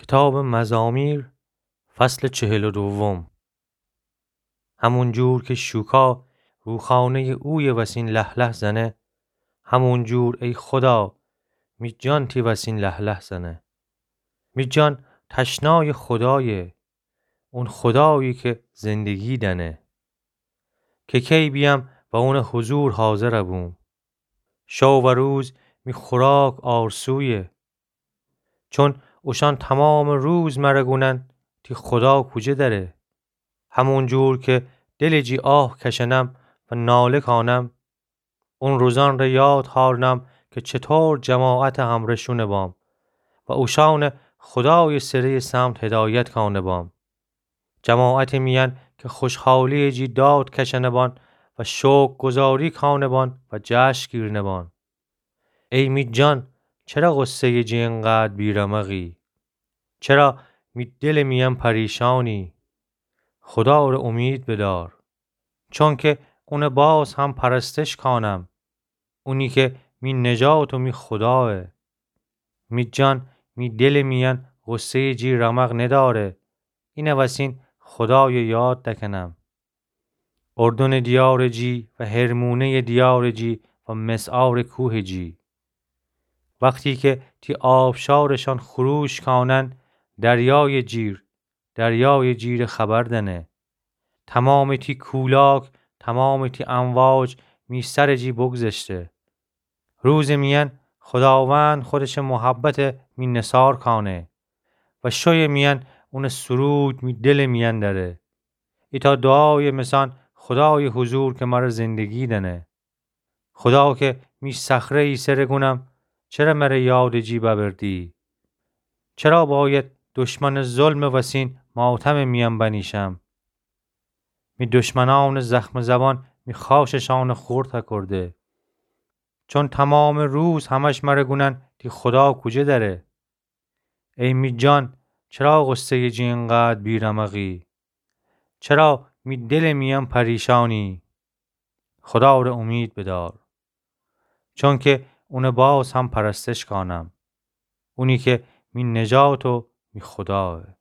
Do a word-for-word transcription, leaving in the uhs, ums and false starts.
کتابٚ مزامیر، فصلٚ چهل و دوم. همون جور که شوکا روخانهٔ اویه وسین له‌له‌زنه، همون جور ای خدا، می جان تی وسین له‌له‌زنه. می جان تشنایٚ خدایه، اون خدایی که زندگی دأنه. که کی بیأم و اونٚ حضور حاضر بوم؟ شو و روز می خوراک آرسویه. چون اوشأن تومامٚ روز مر گونن تی خدا کوجه دأره؟ همون جور که دلٚ جی آه کشأنم و ناله کانم، اون روزأن ره یاد هارنم که چطور جماعتٚ همرشون بام و اوشأنٚ خدایٚ سره‌یٚ سمت هدایت کانه بام. جماعتٚ میأن که خوشحالیٚ جی داد کشأنه بان و شکرگزاری کانه بان و جشن گیرنه بان. ای می جان، چرا غصه‌یٚ جی اینقدر بی‌رمقی؟ چرا می دلٚ میأن پریشانی؟ خدا ره امید بدار، چونکه اونٚ باز هم پرستش کانم، اونی که می نجات و می خدایه. می جان، می دلٚ میأن غصه‌یٚ جی رمق نداره، اینه وسین خدایه یاد دکنم. اردنٚ دیارٚ جی و حرمونه‌یٚ دیارٚ جی و مسعارٚ کوهٚ جی. وختی که تی آبشارشأن خروش کانن، دریایٚ جیر، دریایٚ جیر خبر دنه. تومامٚ تی کولاک، تومامٚ تی امواج می سرٚ جی بگذشته. روزٚ میأن خداوند خودشٚ محبت می نثار کانه و شویٚ میأن اونٚ سرود می دلٚ میأن دأره. ایتأ دعایٚ مسأن خدایٚ حضور که مر زندگی دأنه. خدا که می صخره ایسه ره گونم، چره مر یادٚ جی ببردی؟ چرا باید دشمنٚ ظلمٚ وسین ماتمٚ میأن بنیشم؟ می دشمنأنٚ زخمٚ زبان می خاشٚ شأنٚ خورد کرده. چون تومامٚ روز همش مر گونن تی خدا کوجه دأره؟ ای می جان، چرا غصه‌یٚ جی اینقدر بی‌رمقی؟ چرا می دلٚ میأن پریشانی؟ خدا ره امید بدار، چونکه اونٚ باز هم پرستش کانم، اونی که می نجات و می خدایه.